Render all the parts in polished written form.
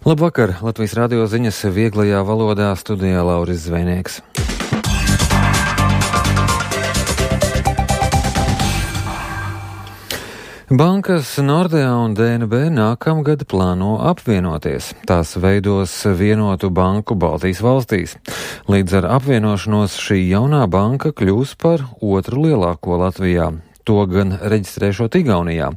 Labvakar! Latvijas radio ziņas vieglajā valodā, studijā Lauris Zvejnieks. Bankas Nordea un DNB nākamgad plāno apvienoties. Tās veidos vienotu banku Baltijas valstīs. Līdz ar apvienošanos šī jaunā banka kļūs par otru lielāko Latvijā. To gan reģistrēšot Igaunijā.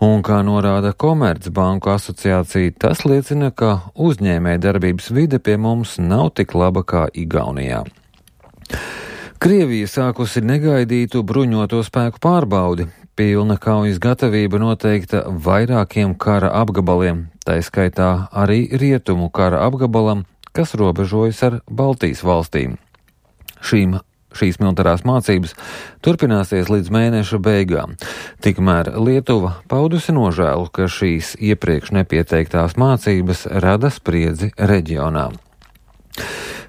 Un, kā norāda Komercbanku asociācija, tas liecina, ka uzņēmēja darbības vide pie mums nav tik laba kā Igaunijā. Krievija sākusi negaidītu bruņoto spēku pārbaudi. Pilna kaujas gatavība noteikta vairākiem kara apgabaliem, tā skaitā arī rietumu kara apgabalam, kas robežojas ar Baltijas valstīm. Šīs militārās mācības turpināsies līdz mēneša beigām. Tikmēr Lietuva paudusi nožēlu, ka šīs iepriekš nepieteiktās mācības rada spriedzi reģionā.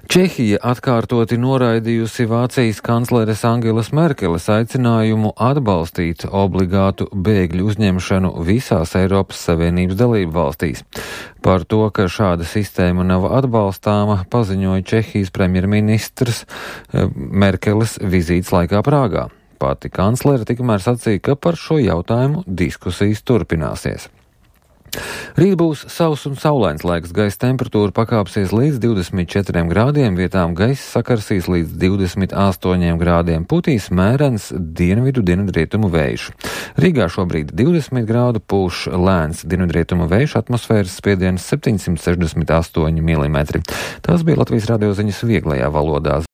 Čehija atkārtoti noraidījusi Vācijas kancleres Angelas Merkeles aicinājumu atbalstīt obligātu bēgļu uzņemšanu visās Eiropas Savienības dalību valstīs. Par to, ka šāda sistēma nav atbalstāma, paziņoja Čehijas premjerministrs Merkeles vizītes laikā Prāgā. Pati kanclere tikmēr sacīja, ka par šo jautājumu diskusijas turpināsies. Rīt būs sauss un saulains laiks, gaisa temperatūra pakāpsies līdz 24 grādiem, vietām gaisa sakarsīs līdz 28 grādiem, putīs mērens dienvidu-dienvidrietumu vējš. Rīgā šobrīd 20 grādu, pūš lēns dienvidrietumu vējš, atmosfēras spiediens 768 mm. Tas bija Latvijas radio ziņas vieglajā valodā.